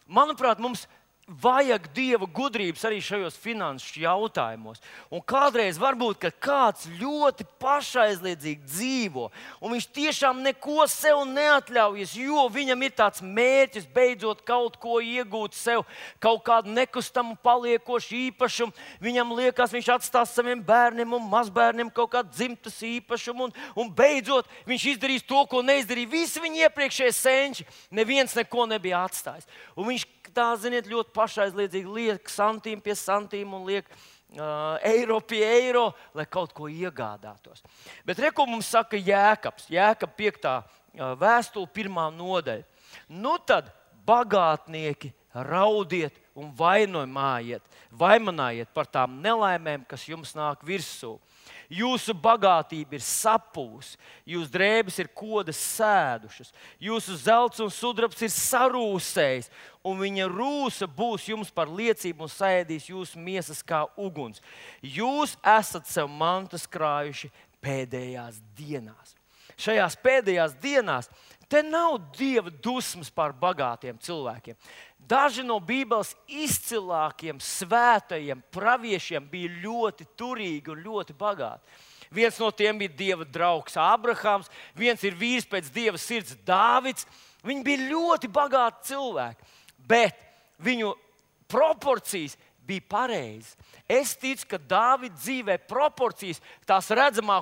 manuprāt, mums vajag Dieva gudrības arī šajos finanšu jautājumos. Un kādreiz varbūt, ka kāds ļoti pašaizliedzīgi dzīvo, un viņš tiešām neko sev neatļaujas, jo viņam ir tāds mērķis beidzot kaut ko iegūt sev, kaut kādu nekustamu paliekošu īpašumu. Viņam liekas, viņš atstās saviem bērniem un mazbērniem kaut kādu dzimtas īpašumu, un beidzot viņš izdarīs to, ko neizdarīja visi viņa iepriekšējie senči. Neviens neko nebija atstājis. Un viņš tā, ziniet, ļoti pašaizliedzīgi liek santīmu pie santīmu un liek eiro pie eiro, lai kaut ko iegādātos. Bet re, ko mums saka Jēkabs, Jēkab 5. vēstule, 1. nodaļa. Nu tad bagātnieki raudiet un vaimanājiet par tām nelaimēm, kas jums nāk virsū. Jūsu bagātība ir sapūs, jūsu drēbes ir kodas sēdušas, jūsu zelts un sudrabs ir sarūsējis, un viņa rūsa būs jums par liecību un saēdīs jūsu miesas kā uguns. Jūs esat sev mantas krājuši pēdējās dienās. Šajās pēdējās dienās te nav Dieva dusmas pār bagātiem cilvēkiem. Daži no Bībeles izcilākiem, svētajiem praviešiem bija ļoti turīgi un ļoti bagāti. Viens no tiem bija Dieva draugs Ābrahams, viens ir vīrs pēc Dieva sirds Dāvids. Viņi bija ļoti bagāti cilvēki, bet viņu proporcijas bija pareizas. Es ticu, ka Dāvida dzīvē proporcijas, tās redzamā,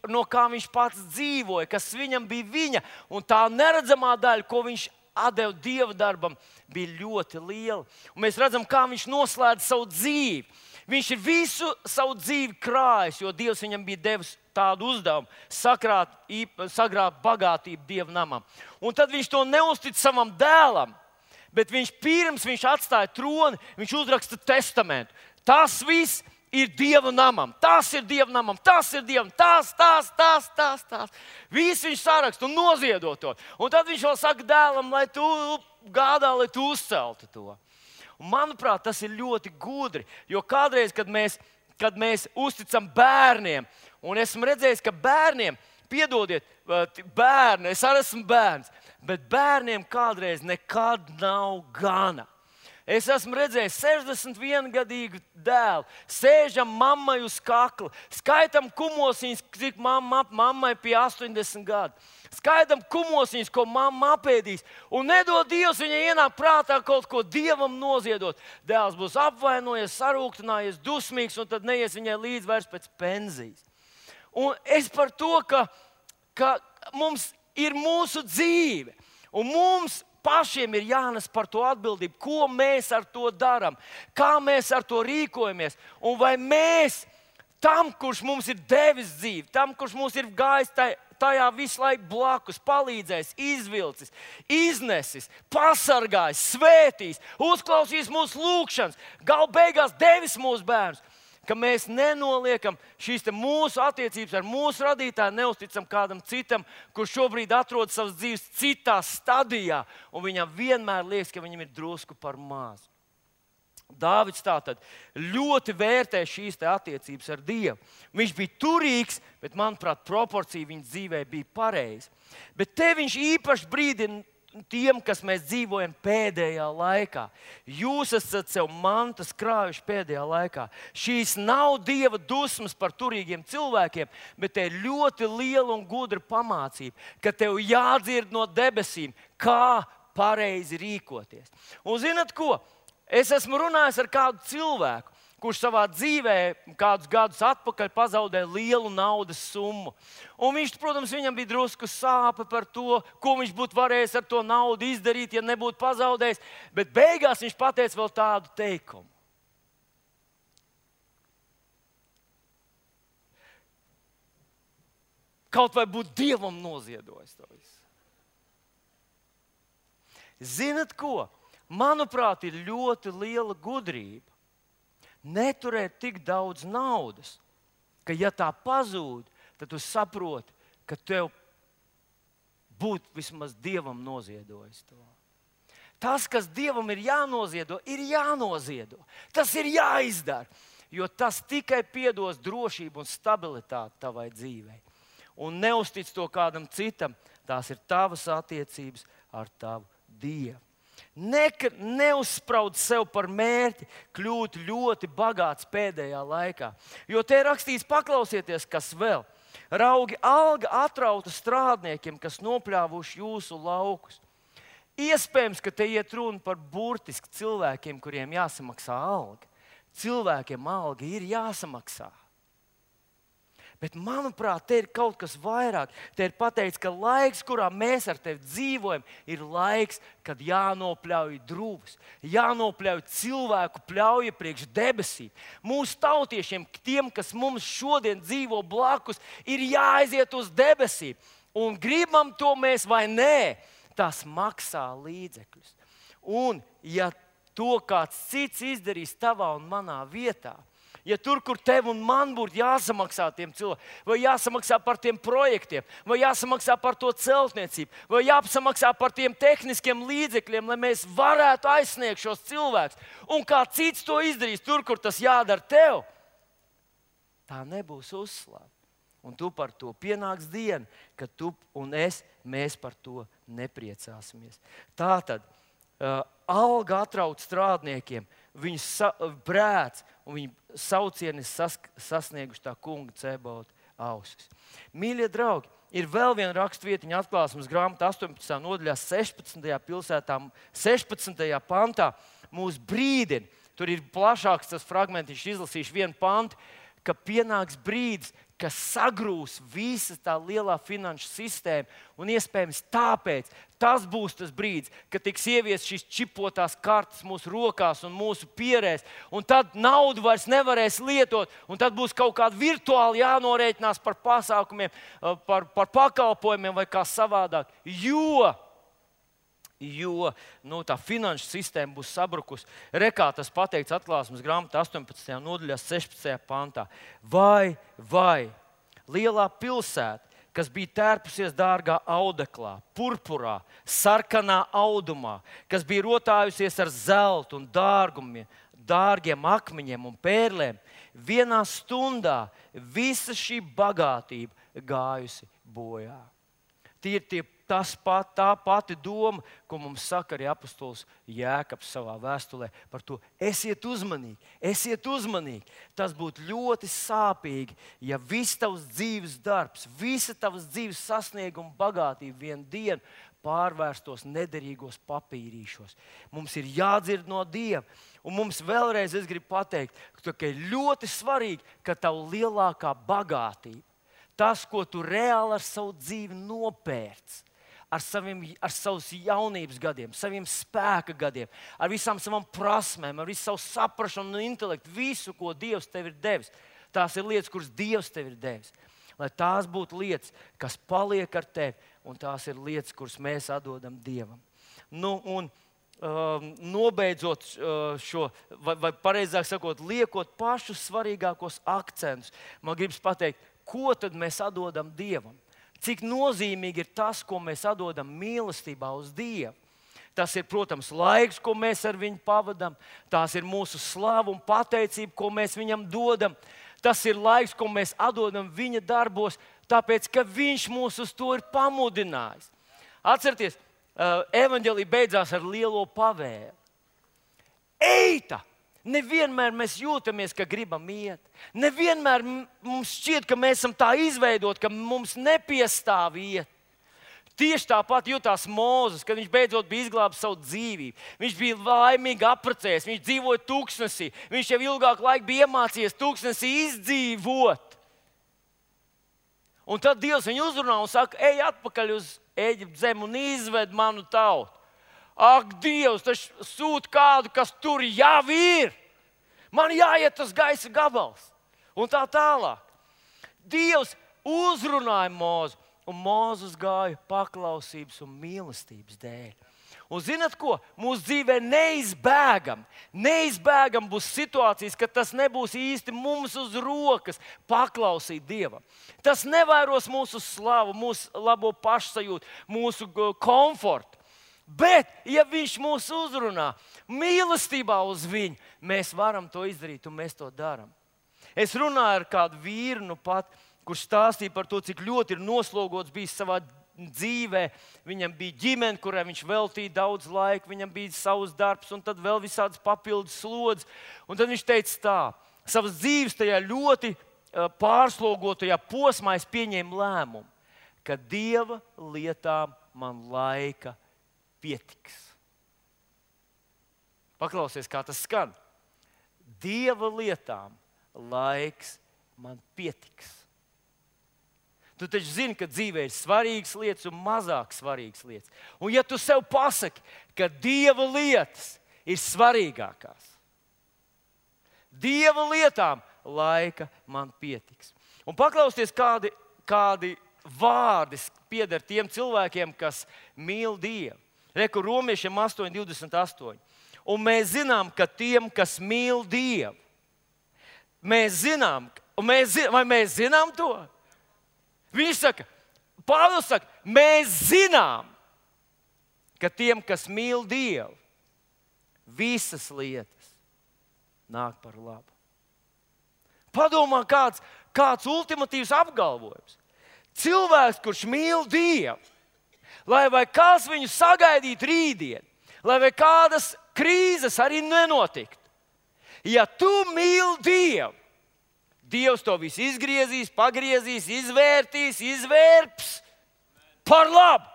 no kā viņš pats dzīvoja, kas viņam bija viņa, un tā neredzamā daļa, ko viņš atdeva Dieva darbam, bija ļoti liela. Un mēs redzam, kā viņš noslēdz savu dzīvi. Viņš ir visu savu dzīvi krājis, jo Dievs viņam bija devis tādu uzdevumu - sagrābt bagātību Dieva namam. Un tad viņš to neuztic savam dēlam, bet pirms viņš atstāja troni, viņš uzraksta testamentu. Tas viss ir Dieva namam, tas ir Dieva namam, tas ir Dievam, tas. Viss viņš saraksta un noziedo to. Un tad viņš vēl saka dēlam, lai tu gādā, lai tu uzceltu to. Un, manuprāt, tas ir ļoti gudri, jo kādreiz, kad mēs uzticam bērniem, un esmu redzējis, ka bērniem, piedodiet, bērni, es arī esmu bērns, bet bērniem kādreiz nekad nav gana. Es esmu redzējis 61-gadīgu dēlu, sēžam mammai uz kakla, skaitam kumosiņas, cik mammai pie 80 gadu. Skaitam kumosiņas, ko mamma apēdīs, un nedod Dievs viņai ienāk prātā kaut ko Dievam noziedot. Dēls būs apvainojies, sarūktinājies, dusmīgs, un tad neies viņai līdz vairs pēc pensijas. Un es par to, ka mums ir mūsu dzīve, un mums pašiem ir jānes par to atbildību, ko mēs ar to darām, kā mēs ar to rīkojamies. Un vai mēs tam, kurš mums ir devis dzīvi, tam, kurš mums ir gājis tajā visu laiku blakus, palīdzējis, izvilcis, iznesis, pasargājis, svētījis, uzklausījis mūsu lūgšanas, galu beigās devis mūsu bērnus, ka mēs nenoliekam šīs mūsu attiecības ar mūsu radītāju, neusticam kādam citam, kurš šobrīd atrodas savas dzīves citā stadijā, un viņam vienmēr liekas, ka viņam ir drusku par mazu. Dāvids tātad ļoti vērtē šīs attiecības ar Dievu. Viņš bija turīgs, bet, manuprāt, proporcija viņa dzīvē bija pareiza. Bet te viņš īpaši brīdina tiem, kas mēs dzīvojam pēdējā laikā. Jūs esat sev mantas krājuši pēdējā laikā. Šīs nav Dieva dusmas par turīgiem cilvēkiem, bet te ir ļoti liela un gudra pamācība, ka tev jādzird no debesīm, kā pareizi rīkoties. Un zinat ko? Es esmu runājis ar kādu cilvēku, kurš savā dzīvē kādus gadus atpakaļ pazaudēja lielu naudas summu. Un viņš, protams, viņam bija drusku sāpe par to, ko viņš būtu varējis ar to naudu izdarīt, ja nebūtu pazaudējis. Bet beigās viņš pateica vēl tādu teikumu. Kaut vai būtu Dievam noziedojis to visu. Zinat ko? Manuprāt, ir ļoti liela gudrība neturēt tik daudz naudas, ka, ja tā pazūd, tad tu saproti, ka tev būtu vismaz Dievam noziedojis to. Tas, kas Dievam ir jānoziedo, ir jānoziedo. Tas ir jāizdara, jo tas tikai piedos drošību un stabilitāti tavai dzīvei. Un neuztic to kādam citam, tās ir tavas attiecības ar tavu Dievu. Neuzspraud sev par mērķi kļūt ļoti bagāts pēdējā laikā. Jo te ir rakstīts, paklausieties, kas vēl. Raugi alga atrauta strādniekiem, kas nopļāvuši jūsu laukus. Iespējams, ka te iet runa par burtiski cilvēkiem, kuriem jāsamaksā alga. Cilvēkiem alga ir jāsamaksā. Bet, manuprāt, te ir kaut kas vairāk. Te ir pateikts, ka laiks, kurā mēs ar tevi dzīvojam, ir laiks, kad jānopļauj drūvis, jānopļauj cilvēku pļauja priekš debesīm. Mūsu tautiešiem, tiem, kas mums šodien dzīvo blakus, ir jāaiziet uz debesīm. Un gribam to mēs vai nē, tas maksā līdzekļus. Un, ja to kāds cits izdarīs tavā un manā vietā, ja tur, kur tev un man būtu jāsamaksā tiem cilvēkiem, vai jāsamaksā par tiem projektiem, vai jāsamaksā par to celtniecību, vai jāsamaksā par tiem tehniskiem līdzekļiem, lai mēs varētu aizsniegt šos cilvēkus, un kā cits to izdarīs tur, kur tas jādara tev, tā nebūs uzslāve. Un tu par to pienāks diena, kad tu un mēs par to nepriecāsimies. Tātad alga atrauc strādniekiem, viņu brēc un viņu saucieni sasnieguši tā kunga Cebauta ausis. Mīļie draugi, ir vēl viena rakstvietiņa Atklāsmes grāmata 18. nodaļā 16. pantā mūs brīdina. Tur ir plašāks tas fragmentiņš, izlasīšu vienu pantu, ka pienāks brīdis, ka sagrūs visa tā lielā finanšu sistēma. Un iespējams tāpēc tas būs tas brīdis, kad tiks ieviestas šīs čipotās kartes mūsu rokās un mūsu pierēs. Un tad naudu vairs nevarēs lietot. Un tad būs kaut kāda virtuāli jānorēķinās par pasākumiem, par pakalpojumiem vai kā savādāk. Jo tā finanšu sistēma būs sabrukusi. Rekā tas pateikts Atklāsmes grāmatā 18. nodaļā 16. pantā. Vai lielā pilsēta, kas bija tērpusies dārgā audeklā, purpurā, sarkanā audumā, kas bija rotājusies ar zeltu un dārgiem akmeņiem un pērlēm, vienā stundā visa šī bagātība gājusi bojā. Tā pati doma, ko mums saka arī apostols Jēkabs savā vēstulē par to. Esiet uzmanīgi. Tas būtu ļoti sāpīgi, ja viss tavs dzīves darbs, visa tavas dzīves sasnieguma bagātība vienu dienu pārvērstos nederīgos papīrīšos. Mums ir jādzird no Dieva. Un mums vēlreiz es gribu pateikt, ka ir ļoti svarīgi, ka tava lielākā bagātība, tas, ko tu reāli ar savu dzīvi nopērc, ar savus jaunības gadiem, saviem spēka gadiem, ar visām savām prasmēm, ar visu savu saprašanu un intelektu, visu, ko Dievs tev ir devis. Tās ir lietas, kuras Dievs tev ir devis. Lai tās būtu lietas, kas paliek ar tevi, un tās ir lietas, kuras mēs atdodam Dievam. Nobeidzot šo, vai pareizāk sakot, liekot pašus svarīgākos akcentus, man gribas pateikt, ko tad mēs atdodam Dievam? Cik nozīmīgi ir tas, ko mēs atdodam mīlestībā uz Dievu. Tas ir, protams, laiks, ko mēs ar viņu pavadām. Tās ir mūsu slava un pateicība, ko mēs viņam dodam. Tas ir laiks, ko mēs atdodam viņa darbos, tāpēc, ka viņš mūs uz to ir pamudinājis. Atcerieties, evaņģēlija beidzās ar lielo pavēli. Eita! Nevienmēr mēs jūtamies, ka gribam iet. Nevienmēr mums šķiet, ka mēs esam tā izveidoti, ka mums nepiestāv iet. Tieši tāpat jutās Mūzes, kad viņš beidzot bija izglābis savu dzīvību. Viņš bija laimīgi apprecējies, viņš dzīvoja tūkstnesī. Viņš jau ilgāku laiku bija iemācījies tūkstnesī izdzīvot. Un tad Dievs viņu uzrunā un saka, ej atpakaļ uz Ēģiptes zemi un izved manu tautu. Ak, Dievs, tas sūta kādu, kas tur jau ir. Man jāiet tas gaisa gabals. Un tā tālāk. Dievs uzrunāja Mūzu, un Mūzes gāja paklausības un mīlestības dēļ. Un zināt ko? Mūsu dzīvē neizbēgam būs situācijas, kad tas nebūs īsti mums uz rokas paklausīt Dievam. Tas nevairos mūsu slavu, mūsu labo pašsajūtu, mūsu komfortu. Bet, ja viņš mūs uzrunā mīlestībā uz viņu, mēs varam to izdarīt, un mēs to darām. Es runāju ar kādu vīru, kurš stāstīja par to, cik ļoti ir noslogots bijis savā dzīvē. Viņam bija ģimene, kurai viņš veltīja daudz laika, viņam bija savs darbs, un tad vēl visādas papildus slodzes. Un tad viņš teica tā, savas dzīves tajā ļoti pārslogotajā posmā es pieņēmu lēmumu, ka Dieva lietām man laika pietiks. Paklausies, kā tas skan. Dieva lietām laiks man pietiks. Tu taču zini, ka dzīvē ir svarīgas lietas un mazāk svarīgas lietas. Un ja tu sev pasaki, ka Dieva lietas ir svarīgākās, Dieva lietām laika man pietiks. Un paklausieties, kādi vārdi pieder tiem cilvēkiem, kas mīl Dievu. Reku Romiešiem 8:28. Un mēs zinām, ka tiem, kas mīl Dievu, mēs zinām, vai mēs zinām to? Viņš saka, Pāvils saka, mēs zinām, ka tiem, kas mīl Dievu, visas lietas nāk par labu. Padomā, kāds ultimatīvs apgalvojums. Cilvēks, kurš mīl Dievu, lai vai kāds viņu sagaidītu rītdien, lai vai kādas krīzes arī nenotiktu. Ja tu mīli Dievu, Dievs to visu izgriezīs, pagriezīs, izvērtīs, izvērps par labu.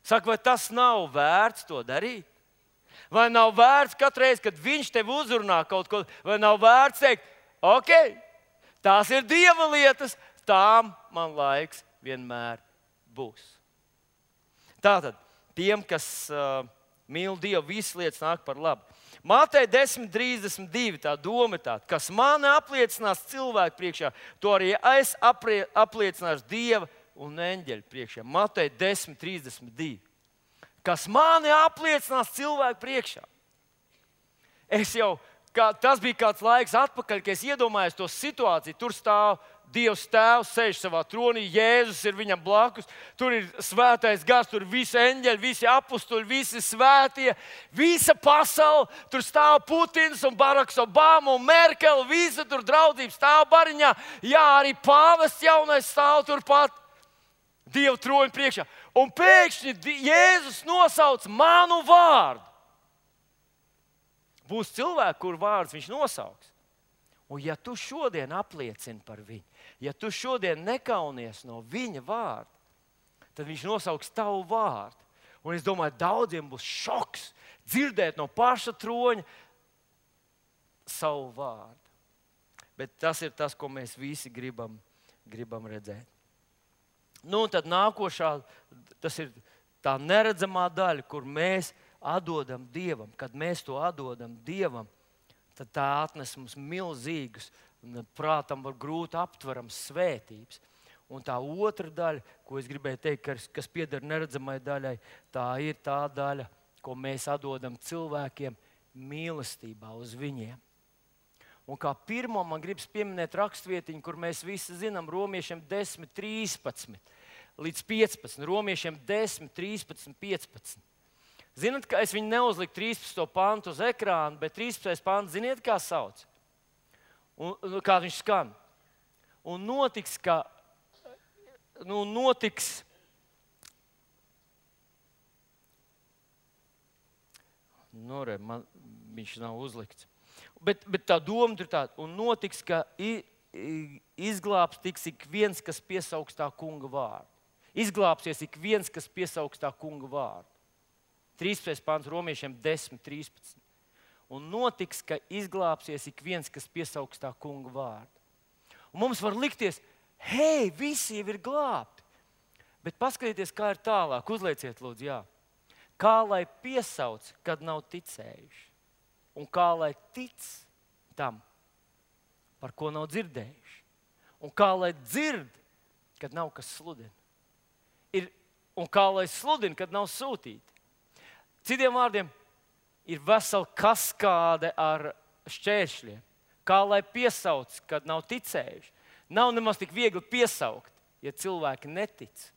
Saka, vai tas nav vērts to darīt? Vai nav vērts katru reizi, kad viņš tev uzrunā kaut ko, vai nav vērts teikt, ok, tās ir Dieva lietas, tām man laiks vienmēr būs. Tātad, tiem, kas mīl Dievu, visas lietas nāk par labu. Mateja 10:32 tā doma ir tāda, kas mani apliecinās cilvēku priekšā, to arī es apliecināšu Dieva un eņģeļu priekšā. Mateja 10:32. Kas mani apliecinās cilvēku priekšā. Tas bija kāds laiks atpakaļ, kad es iedomājos to situāciju. Tur stāv Dievs Tēvs, sēž savā tronī, Jēzus ir viņam blakus. Tur ir svētais gars, tur ir visi eņģeļi, visi apustuļi, visi svētie, visa pasaule. Tur stāv Putins un Baraks Obama un Merkele, visa tur draudzība stāv bariņā. Jā, arī pāvests jaunais stāv turpat Dieva troņa priekšā. Un pēkšņi Jēzus nosauc manu vārdu. Būs cilvēki, kur vārds viņš nosauks. Un ja tu šodien apliecini par viņu, ja tu šodien nekaunies no viņa vārda, tad viņš nosauks tavu vārdu. Un es domāju, daudziem būs šoks dzirdēt no paša troņa savu vārdu. Bet tas ir tas, ko mēs visi gribam redzēt. Nu, un tad nākošā, tas ir tā neredzamā daļa, kur mēs atdodam Dievam. Kad mēs to atdodam Dievam, tad tā atnes mums milzīgus, un prātam var grūti aptverams svētības. Un tā otra daļa, ko es gribēju teikt, kas pieder neredzamai daļai, tā ir tā daļa, ko mēs atdodam cilvēkiem mīlestībā uz viņiem. Un kā pirmo man gribas pieminēt rakstvietiņu, kur mēs visi zinām, Romiešiem 10:13 līdz 15. Romiešiem 10:13, 15. Zināt, ka es viņu neuzliku 13. pantu uz ekrāna, bet 13. pants, ziniet, kā sauc? Un kā viņš skan? Un notiks, ka viņš nav uzlikts. Bet tā doma ir tāda, un notiks, ka izglābs tiks ik viens, kas piesaugs tā kunga vārdu. Izglābsies ik viens, kas piesaugs tā kunga vārdu. 13. pants Romiešiem 10:13. Un notiks, ka izglābsies ik viens, kas piesaugs tā kunga vārdu. Un mums var likties, hei, visi jau ir glābti. Bet paskatieties, kā ir tālāk. Uzlieciet, lūdzu, jā. Kā lai piesauc, kad nav ticējuši? Un kā lai tic tam, par ko nav dzirdējuši? Un kā lai dzird, kad nav kas sludina? Un kā lai sludina, kad nav sūtīti? Citiem vārdiem, ir vesela kaskāde ar šķēršļiem. Kā lai piesauc, kad nav ticējuši? Nav nemaz tik viegli piesaukt, ja cilvēki netic.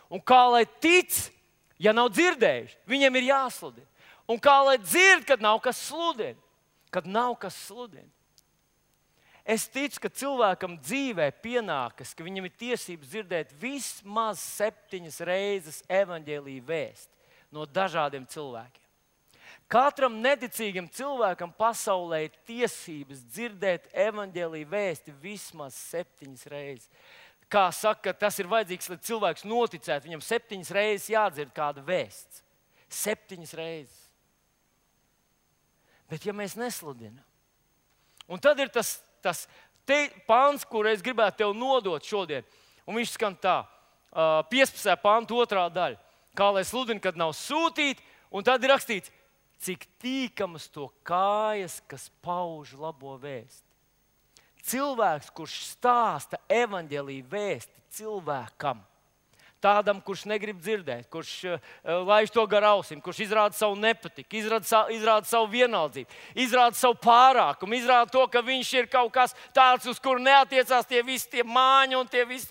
Un kā lai tic, ja nav dzirdējuši? Viņiem ir jāsludina. Un kā lai dzird, kad nav kas sludina? Kad nav kas sludina. Es ticu, ka cilvēkam dzīvē pienākas, ka viņam ir tiesības dzirdēt vismaz 7 reizes evaņģēlija vēsti no dažādiem cilvēkiem. Katram neticīgam cilvēkam pasaulē ir tiesības dzirdēt evaņģēlija vēsti vismaz 7 reizes. Kā saka, tas ir vajadzīgs, lai cilvēks noticētu, viņam 7 reizes jādzird kāda vēsts. 7 reizes. Bet ja mēs nesludinām, un tad ir tas pants, kur es gribētu tev nodot šodien, Un viņš skan tā, 15. panta 2. daļa. Kā lai sludina, kad nav sūtīti, un tad ir rakstīts, cik tīkamas to kājas, kas pauž labo vēsti. Cilvēks, kurš stāsta evaņģēliju vēsti cilvēkam, tādam, kurš negrib dzirdēt, kurš laiž to gar ausīm, kurš izrāda savu nepatiku, izrāda savu vienaldzību, izrāda savu pārākumu, izrāda to, ka viņš ir kaut kas tāds, uz kuru neatiecās tie visi tie māņi un tie visi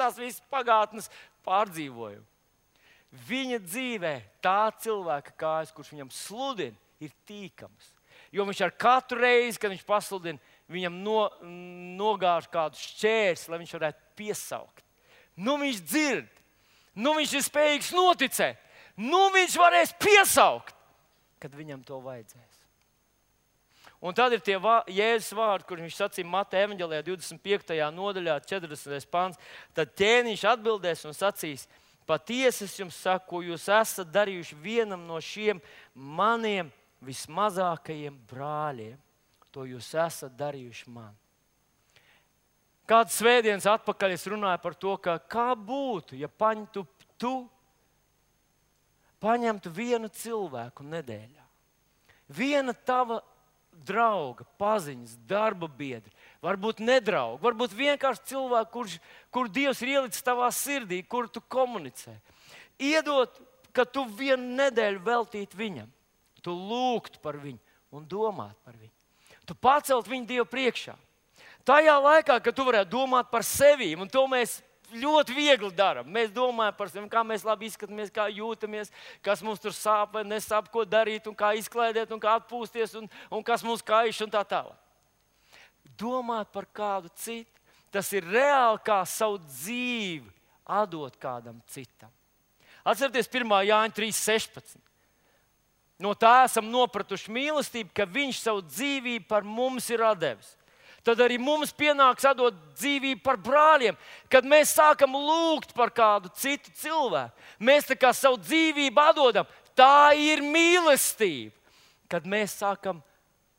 pagātnes pārdzīvojumi. Viņa dzīvē tā cilvēka kājas, kurš viņam sludina, ir tīkams. Jo viņš ar katru reizi, kad viņš pasludina, viņam nogāž kādu šķērsli, lai viņš varētu piesaukt. Nu viņš dzird, nu viņš ir spējīgs noticēt, nu viņš varēs piesaukt, kad viņam to vajadzēs. Un tad ir tie Jēzus vārdi, kur viņš sacīja Mateja evaņģēlijā 25. nodaļā, 40. pants. Tad ķēniņš atbildēs un sacīs, patiesi es jums saku, ko jūs esat darījuši vienam no šiem maniem vismazākajiem brāļiem. To jūs esat darījuši man. Kāds svētdienas atpakaļ es runāju par to, ka kā būtu, ja tu paņemtu vienu cilvēku nedēļā. Viena tava drauga, paziņas, darba biedri, varbūt nedraugi, varbūt vienkārši cilvēku, kur Dievs ir ielicis tavā sirdī, kur tu komunicē. Iedot, ka tu vienu nedēļu veltītu viņam, tu lūgtu par viņu un domātu par viņu. Tu pacelt viņu Dievu priekšā. Tajā laikā, kad tu varētu domāt par sevi, un to mēs ļoti viegli darām. Mēs domājam par sevi, kā mēs labi izskatāmies, kā jūtamies, kas mums tur sāp vai nesāp, ko darīt, un kā izklaidēt, un kā atpūsties, un kas mums kaiš, un tā tālāk. Domāt par kādu citu, tas ir reāli kā savu dzīvi atdot kādam citam. Atcerieties 1. Jāņa 3.16. No tā esam nopratuši mīlestību, ka viņš savu dzīvību par mums ir atdevis. Tad arī mums pienāks atdot dzīvību par brāļiem, kad mēs sākam lūgt par kādu citu cilvēku. Mēs tā kā savu dzīvību atdodam. Tā ir mīlestība, kad mēs sākam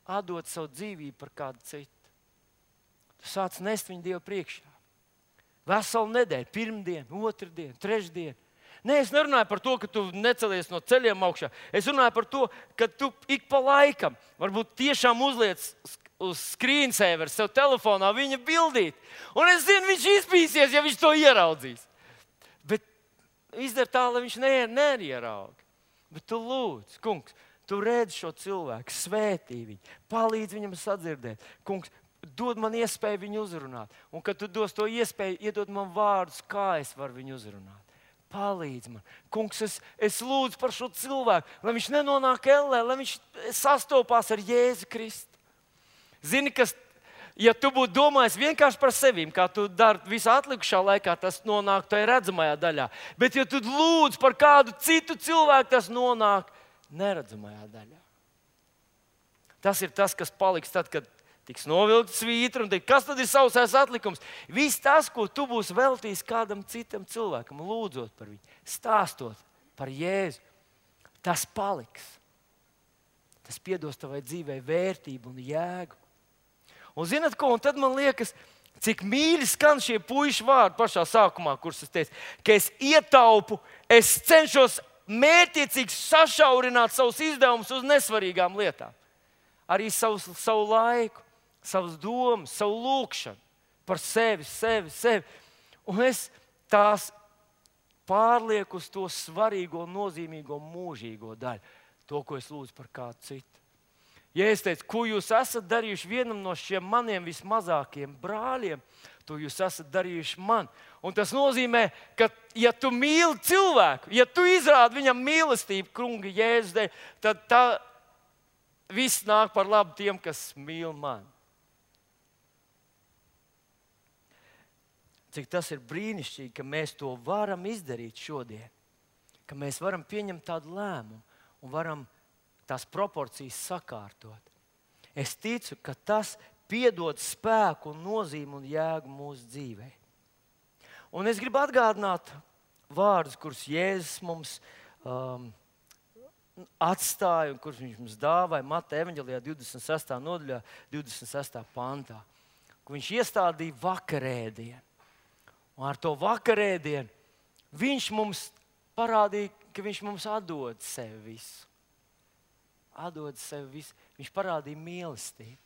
atdot savu dzīvību par kādu citu. Tu sāc nest viņu Dievu priekšā. Veselu nedēļu, pirmdienu, otrdienu, trešdienu. Nē, es nerunāju par to, ka tu necelies no ceļiem augšā. Es runāju par to, ka tu ik pa laikam varbūt tiešām uzliec uz screensaver sev telefonā viņa bildīt. Un es zinu, viņš izpīsies, ja viņš to ieraudzīs. Bet izdara tā, lai viņš neierauga. Bet tu lūdz, kungs, tu redz šo cilvēku, svētī viņu, palīdz viņam sadzirdēt. Kungs, dod man iespēju viņu uzrunāt. Un kad tu dos to iespēju, iedod man vārdus, kā es varu viņu uzrunāt. Palīdz man. Kungs, es lūdzu par šo cilvēku, lai viņš nenonāk ellē, lai viņš sastopās ar Jēzu Kristu. Zini, kas, ja tu būtu domājis vienkārši par sevīm, kā tu dari visā atlikušā laikā, tas nonāk tajā redzamajā daļā. Bet ja tu lūdz par kādu citu cilvēku, tas nonāk neredzamajā daļā. Tas ir tas, kas paliks tad, kad tiks novilkta svītra un teikt, kas tad ir sausais atlikums? Viss tas, ko tu būsi veltījis kādam citam cilvēkam, lūdzot par viņu, stāstot par Jēzu, tas paliks. Tas piedos tavai dzīvei vērtību un jēgu. Un zināt ko? Un tad man liekas, cik mīļi skan šie puiši vārdi pašā sākumā, kurus es teicu, ka es ietaupu, es cenšos mērķiecīgi sašaurināt savus izdevumus uz nesvarīgām lietām. Arī savu laiku, savas domas, savu lūkšanu par sevi. Un es tās pārlieku uz to svarīgo, nozīmīgo, mūžīgo daļu. To, ko es lūdzu par kādu citu. Ja es teicu, ko jūs esat darījuši vienam no šiem maniem vismazākajiem brāļiem, to jūs esat darījuši man. Un tas nozīmē, ka ja tu mīli cilvēku, ja tu izrādi viņam mīlestību, kunga Jēzus dēļ, tad tā viss nāk par labu tiem, kas mīl mani. Cik tas ir brīnišķīgi, ka mēs to varam izdarīt šodien. Ka mēs varam pieņemt tādu lēmumu un varam tās proporcijas sakārtot. Es ticu, ka tas piedod spēku un nozīmi un jēgu mūsu dzīvē. Un es gribu atgādināt vārdus, kurus Jēzus mums atstāja un kurus viņš mums dāvāja Mateja evaņģēlijā 26. nodaļā, 26. pantā. Kur viņš iestādīja vakarēdienu. Un ar to vakarēdienu viņš mums parādīja, ka viņš mums atdod sevi visu. Atdod sevi visu. Viņš parādīja mīlestību.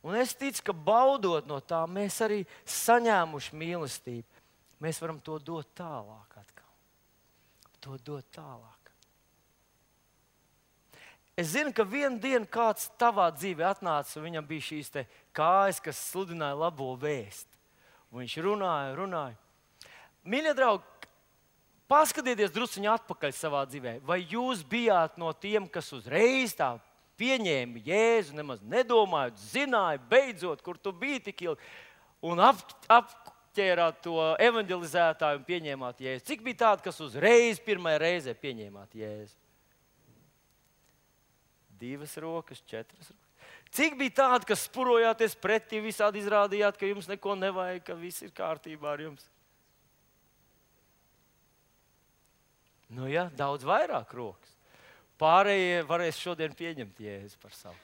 Un es ticu, ka baudot no tā, mēs arī saņēmuši mīlestību. Mēs varam to dot tālāk atkal. To dot tālāk. Es zinu, ka vienu dienu kāds tavā dzīvē atnāca, un viņam bija šīs te kājas, kas sludināja labo vēstu. Un viņš runāja. Mīļie draugi, paskatieties drusciņi atpakaļ savā dzīvē. Vai jūs bijāt no tiem, kas uzreiz tā pieņēma Jēzu, nemaz nedomājot, zināja, beidzot, kur tu biji tik ilgi, un apķērāt to evanģelizētāju un pieņēmāt Jēzu? Cik bija tādi, kas uzreiz pirmajā reizē pieņēmāt Jēzu? 2 rokas, 4 rokas. Cik bija tādi, kas spurojāties pretī, visādi izrādījāt, ka jums neko nevajag, ka viss ir kārtībā ar jums? Nu jā, daudz vairāk rokas. Pārējie varēs šodien pieņemt Jēzu par savu.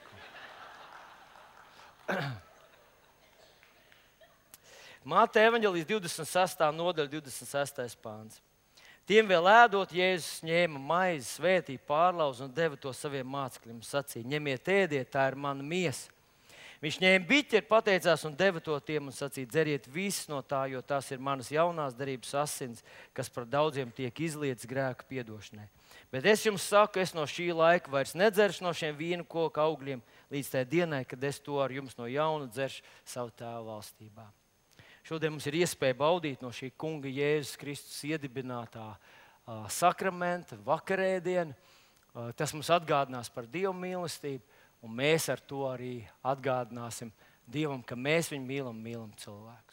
Mateja evanģelijas 26. nodaļa, 26. pāns. Tiem vēl ēdot, Jēzus ņēma maizi, svētīja, pārlauza un deva to saviem mācekļiem. Sacīja: ņemiet, ēdiet, tā ir mana miesa. Viņš ņēma biķeri, pateicās un deva to tiem un sacīja: dzeriet visu no tā, jo tās ir manas jaunās derības asins, kas par daudziem tiek izlietas grēka piedošanai. Bet es jums saku, es no šī laika vairs nedzeršu no šiem vīnu koka augļiem līdz tai dienai, kad es to ar jums no jauna dzeršu savu Tēva valstībā. Šodien mums ir iespēja baudīt no šī kunga Jēzus Kristus iedibinātā sakramenta, vakarēdienu. Tas mums atgādinās par Dieva mīlestību, un mēs ar to arī atgādināsim Dievam, ka mēs viņu mīlam cilvēku.